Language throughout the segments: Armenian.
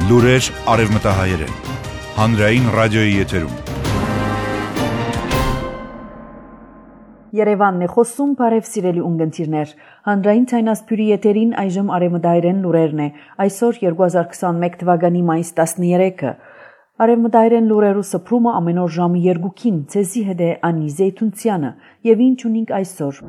Լուրեր արևմտահայերեն, հանրային ռադիոյի եթերում։ Երևանն է խոսում, բարև սիրելի ունգընտիրներ։ Հանրային ցայնասփյուրի եթերին այժմ արևմտահայերեն լուրերն է։ Այսօր 2021 թվականի մայիս 13-ը։ Արևմտահայերեն լուրերու սփռումը ամեն օր ժամը 2-ին, ցեզի հետ է Անի Զեյթունցյանը, եւ ինչ ունենք այսօր։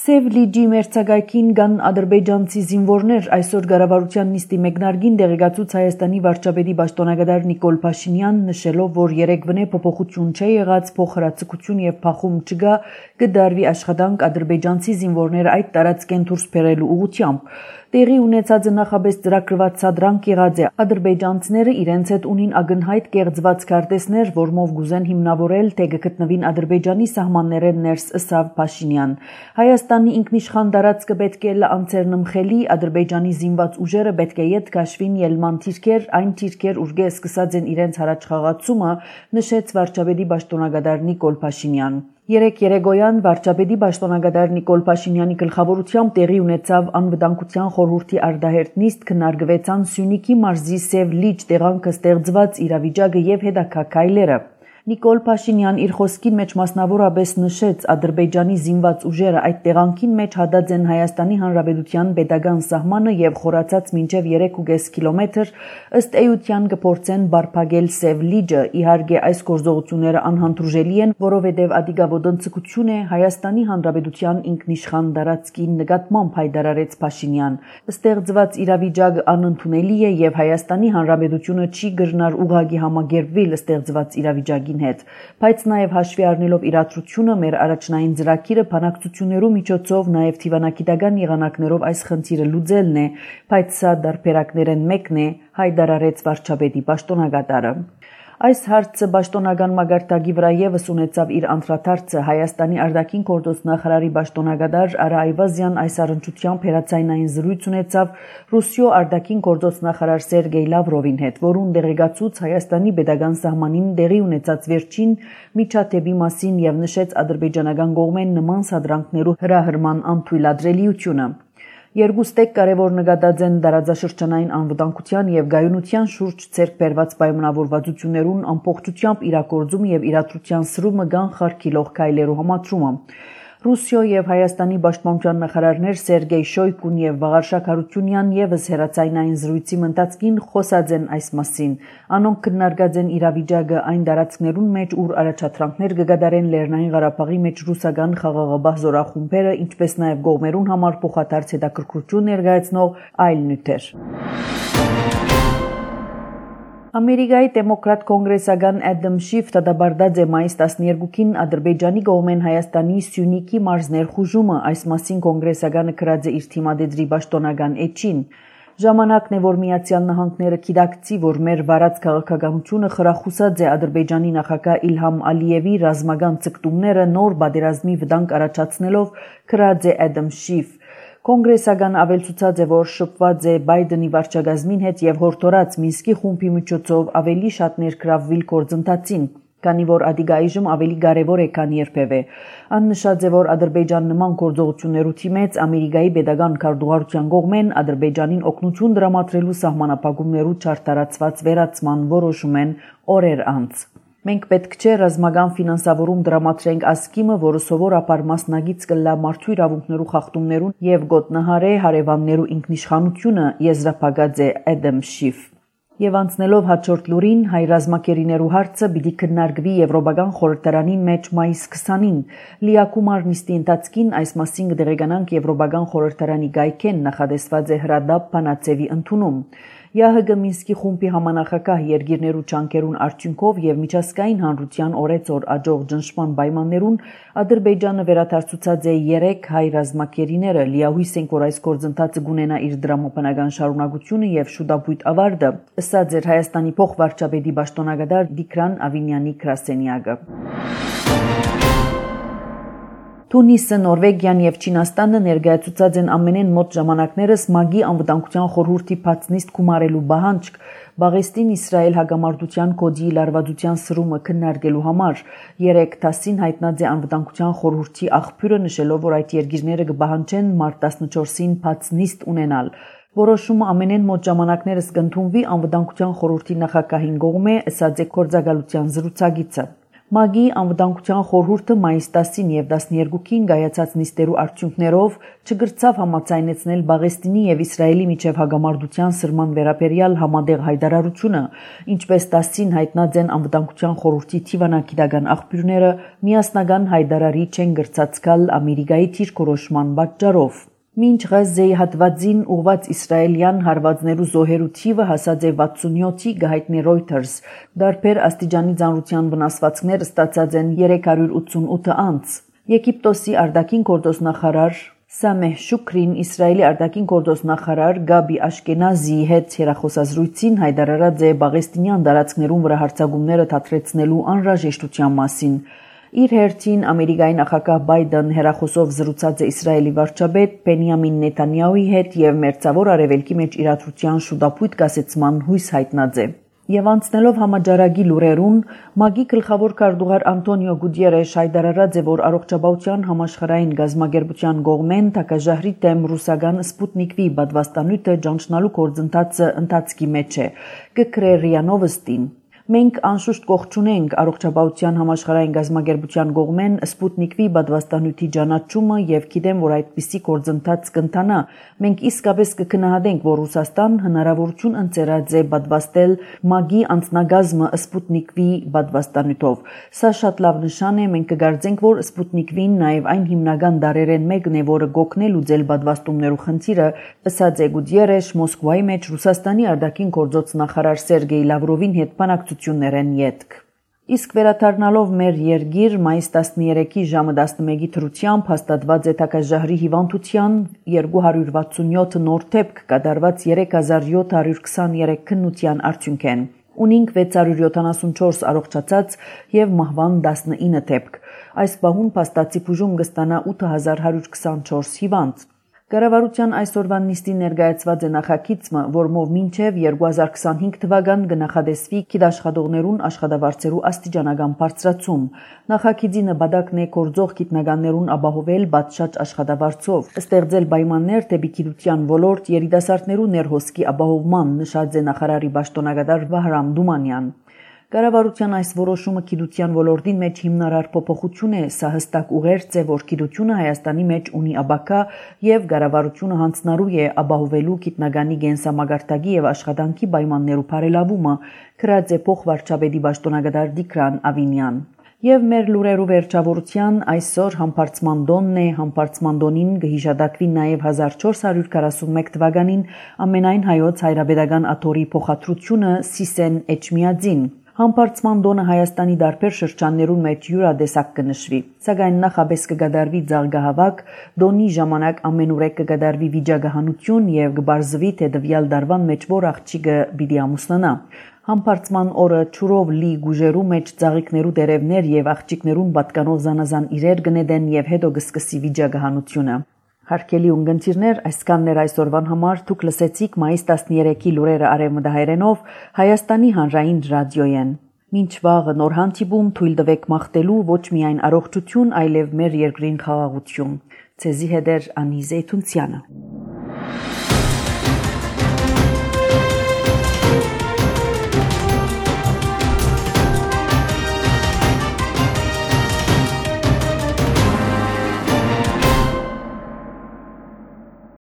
Սև լիճի մերձակայքին կան ադրբեջանցի զինվորներ, այսօր կառավարության նիստի մեկնարկին դեղեկացուց Հայաստանի վարչապետի պաշտոնագետար Նիկոլ Փաշինյան, նշելով, որ երեկվնե փոփոխություն չէ եղած, փոխհրացակցություն եւ փախում չկա, կդարվի աշխատանք ադրբեջանցի զինվորները այդ տարածքեն դուրս բերելու ուղղությամբ։ Տեղի ունեցածը նախաբես ծրագրված սադրանք եղած է։ Ադրբեջանցիները իրենց հետ ունին ակնհայտ կեղծված քարտեզներ, որմով գուզեն հիմնավորել, թե գտնվին Ադրբեջանի սահմաններեն ներս ըսավ Փաշինյան։ Հայաստանի ինքնիշխան տարածքը պետք է անցերնմխելի, Ադրբեջանի զինված ուժերը պետք է ետ քաշվին ելման թիրքեր, այն թիրքեր ուժգե սկսած են իրենց հարաճխաղացումը, նշեց վարչապետի պաշտոնագետար Նիկոլ Փաշինյան։ Երեկ երեկոյան վարչապետի պաշտոնագետար Նիկոլ Փաշինյանի գլխավորությամբ տեղի ունեցավ անվտանգության խորհրդի արտահերթ նիստ, քննարկվեցան Սյունիքի մարզի Սև լիճ տեղանքը ստեղծված իրավիճակը եւ հետագա քայլերը։ Նիկոլ Փաշինյան իր խոսքին մեջ մասնավորապես նշեց Ադրբեջանի զինված ուժերը այդ տեղանքին մեջ հատած են Հայաստանի Հանրապետության պետական սահմանը եւ խորացած մինչեւ 3.5 կիլոմետր ըստ էության կփորձեն բարփակել Սև լիճը։ Իհարկե այս գործողությունները անհանդուրժելի են, որովհետեւ ադիգա ոտնձգություն է Հայաստանի Հանրապետության ինքնիշխան տարածքի նկատմամբ հայտարարեց Փաշինյան։ Ստեղծված իրավիճակը անընդունելի է եւ Հայաստանի Հանրապետությունը չի կրնար ուղղակի համագերվել ստեղծված իրավիճակի հետ, բայց նաև հաշվի առնելով իրադրությունը մեր առաջնային ծրագիրը բանակցություններու միջոցով նաև թիվանագիտական եղանակներով այս խնդիրը լուծելն է, բայց սա դարբերակներեն մեկն է, հայտարարեց վարչապետի պաշտոնագետարը։ Այս հարցը պաշտոնական մագարտակի վրա եւս ունեցավ իր անդրադարձը Հայաստանի արտաքին գործոս նախարարի պաշտոնագետար Արա Այվազյան այս առընչությամբ հերացայնային զրույց ունեցավ Ռուսիո արտաքին գործոս նախարար Սերգեյ Լավրովին հետ, որուն դեղեկացուց Հայաստանի պետական սահմանին տեղի ունեցած վերջին միջադեպի մասին եւ նշեց ադրբեջանական կողմեն նման սադրանքներու հրահրման անթույլատրելիությունը։ Երկուստեք կարևոր նկատած են տարածաշրջանային անվտանգության եւ գայունության շուրջ ցերկ բերված պայմանավորվածություններուն ամբողջությամբ իրագործում եւ իրադրության սրումը կանխարգելող քայլերու համաձումը։ Ռուսիո եւ Հայաստանի պաշտպանության նախարարներ Սերգեյ Շոյգուն եւ Վաղարշակ Հարությունյան եւս հերացայնային զրույցի ընթացքին խոսած են այս մասին։ Անոնք քննարկած են իրավիճակը այն տարածքներուն մեջ, ուր առաջադրանքներ կգադարեն Լեռնային Ղարաբաղի մեջ ռուսական խաղաղապահ զորախումբերը, ինչպես նաեւ կողմերուն համար փոխադարձ հետաքրքրություն ներկայացնող այլ նյութեր։ Ամերիկայի դեմոկրատ կոնգրեսական Ադամ Շիֆ դադարեցրած է մայիս 12-ին Ադրբեջանի կողմեն Հայաստանի Սյունիքի մարզ ներխուժումը, այս մասին կոնգրեսականը գրած է իր թիմադեդրի պաշտոնական էջին։ Ժամանակն է, որ Միացյալ Նահանգները գիտակցի, որ մեր վարած քաղաքականությունը խրախուսած է Ադրբեջանի նախագահ Իլհամ Ալիևի ռազմական ցկտումները նոր պատերազմի վտանգ առաջացնելով, գրած է Ադամ Շիֆ։ Կոնգրեսական ավելցուցած է, որ շփված է Բայդենի վարչակազմին հետ եւ հորդորած Մինսկի խումբի միջոցով ավելի շատ ներգրավվել գործընթացին, քանի որ ադիգայիժմ ավելի կարևոր է, քան երբևէ։ Աննշած է, որ Ադրբեջան նման գործողություններու թիմեց Ամերիկայի պետական քարտուղարության կողմեն Ադրբեջանին օգնություն տրամադրելու սահմանապահումներու չարտարացված վերացման որոշում են օրեր անց։ Մենք պետք չէ ռազմական ֆինանսավորում դրամատրենք ասկիմը, որը սովորաբար մասնագից կլա մարդու իրավունքներու խախտումներուն եւ գոտնահարե հարևաններու ինքնիշխանությունը, եզրափակած է Ադամ Շիֆ։ Եվ անցնելով հաջորդ լուրին, հայ ռազմակերիներու հարցը պիտի քննարկվի Եվրոպական խորհրդարանի մեջ մայիս 20-ին։ Լիակումար նիստի ընթացքին այս մասին կդեղեկանանք Եվրոպական խորհրդարանի գայքեն նախադեсված է հրադապ բանաձևի ընդունում։ ԵԱՀԿ Մինսկի խումբի համանախագահ երկիրներու ճանկերուն արդյունքով եւ միջազգային հանրության օրեցօր աջող ճնշման պայմաններուն Ադրբեջանը վերադարձուցած է 3 հայ ռազմակերիները։ Լիահույս են, որ այս գործընթացը կունենա իր դրամապանական շարունակությունը եւ շուտապույտ ավարտը, ըսած էր Հայաստանի փոխվարչապետի պաշտոնագետար Տիգրան Ավինյանի գրասենյակը։ Թունիսը, Նորվեգիան եւ Չինաստանը ներկայացուցած են ամենեն մոտ ժամանակներս ՄԱԳ-ի անվտանգության խորհրդի բացնիստ գումարելու բանջարկ Բաղեստին Իսրայել հագամարտության կոդի լարվածության սրումը քննարկելու համար 3 տասին հայտնած է անվտանգության խորհրդի աղբյուրը նշելով, որ այդ երկիրները կբահանջեն մարտ 14-ին բացնիստ ունենալ։ Որոշումը ամենեն մոտ ժամանակներս կընդունվի անվտանգության խորհրդի նախագահին կողմէ, ըսած է գործակալության զրուցակիցը։ ՄԱԳ-ի անվտանգության խորհուրդը մայիս 10-ին եւ 12-ին կայացած նիստերու արդյունքներով չգրծավ համաձայնեցնել Պաղեստինի եւ Իսրայելի միջև հագամարտության սրման վերաբերյալ համատեղ հայտարարությունը, ինչպես 10-ին հայտնած են անվտանգության խորհրդի թիվանագիտական աղբյուրները, միասնական հայտարարի չեն գրծածկալ Ամերիկայի դիրքորոշման պատճառով։ Մինչ Ղազեի հատվածին ուղված իսրայելյան հարվածներու զոհերու թիվը հասած է 67-ի, գահիտնի Reuters, դարբեր աստիճանի ծանրության վնասվածքներ ստացած են 388 անց։ Եգիպտոսի արտաքին գործոստնախարար Սամեհ Շուքրին Իսրայելի արտաքին գործոստնախարար Գաբի Աշկենազիի հետ հեռախոսազրույցին հայտարարած է Պաղեստինյան տարածքներում վրա հարձակումները դադրեցնելու անհրաժեշտության մասին։ Իր հերթին Ամերիկայի նախագահ Բայդեն հեռախոսով զրուցած է Իսրայելի վարչապետ Բենյամին Նեթանյահուի հետ եւ մերձավոր արևելքի մեջ իրադրության շուտապույտ կասեցման հույս հայտնած է։ Եվ անցնելով համաճարակի լուրերուն, ՄԱԳ-ի գլխավոր քարտուղար Անտոնիո Գուտիերեշ հայտարարած է, որ առողջապահության համաշխարհային գազམ་ագերբության կողմեն թակաժահրի դեմ ռուսական Սպուտնիկ V պատվաստանյութը ճանչնալու գործընթացը ընթացքի մեջ է, կգրե ՌԻԱ Նովոստին։ Մենք անշուշտ կողջունենք առողջապահության համաշխարհային գազམ་ագերբության կողմեն Սպուտնիկ V պատվաստանյութի ճանաչումը եւ գիտեմ, որ այդպիսի գործընթաց կընթանա։ Մենք իսկապես կգնահատենք, որ Ռուսաստան հնարավորություն ընձեռած է պատվաստել ՄԱԳ-ի անձնագազմը Սպուտնիկ V պատվաստանյութով։ Սա շատ լավ նշան է, մենք կգարձենք, որ Սպուտնիկ V-ն նաեւ այն հիմնական դարերեն մեկն է, որը գոքնել լուծել պատվաստումներու խնդիրը, ըսած է Գուտիերեշ Մոսկվայի մեջ Ռուսաստանի արտաքին գործոց նախարար Սերգեյ Լավրովին հետ բանակցություններեն ետք։ Իսկ վերադառնալով մեր երգիր մայիս 13-ի ժամը 11-ի թրությամբ հաստատված է թակաժահրի հիվանդության 267 նոր դեպք կատարված 3723 քննության արդյունքեն։ Ունինք 674 առողջացած եւ մահվան 19 դեպք։ Այս բահուն փաստացի բուժում կստանա 8124 հիվանդ։ Կառավարության այսօրվան նիստի ներկայացված է նախագիծը, որմով մինչև 2025 թվական կնախադեсվի գիտաշխատողներուն աշխատավարձերու աստիճանական բարձրացում։ Նախագիծի նպատակն է գործող գիտնականներուն ապահովել պատշաճ աշխատավարձով, ստեղծել պայմաններ դեպի գիտության ոլորտ երիտասարդներու ներհոսքի ապահովման, նշած է նախարարի պաշտոնակատար Վահրամ Դումանյան։ Կառավարության այս որոշումը գիտության ոլորտին մեջ հիմնարար փոփոխություն է, սա հստակ ուղերձ է, որ գիտությունը Հայաստանի մեջ ունի ապակա եւ կառավարությունը հանձնարարու է ապահովելու գիտնականի գենսամագարտակի եւ աշխատանքի պայմաններու բարելավումը, գրած է փոխվարչապետի պաշտոնակատար Տիգրան Ավինյան։ Եվ մեր լուրերու վերջավորության այսօր համբարձման տոնն է, համբարձման տոնին կհիշատակվի նաև 1441 թվականին ամենայն հայոց հայրապետական աթոռի փոխադրությունը Սիսեն Էջմիածին։ Համբարձման տոնը Հայաստանի դարբեր շրջաններում մեջ յուրադեսակ կնշվի, սակայն նախապես կգադարվի ձարգահավաք, տոնի ժամանակ ամենուրեք կգադարվի վիճակահանություն եւ կբարձվի թե տվյալ դարվան մեջ որ աղջիկը պիտի ամուսնանա։ Համբարձման օրը ճուրով լի գուժերու մեջ ծաղիկներու դերևներ եւ աղջիկներուն պատկանող զանազան իրեր կնետեն եւ հետո կսկսի վիճակահանությունը։ Հարկելի ունգընտիրներ, այսքաններ այսօրվան համար դուք լսեցիք մայիս 13-ի լուրերը արևմտահայերենով Հայաստանի հանրային ռադիոյեն։ Մինչ վաղը նոր հանդիպում թույլ տվեք մաղթելու ոչ միայն առողջություն, այլև մեր երկրին խաղաղություն։ Ցեզի հետ Անի Զեյթունցյանը։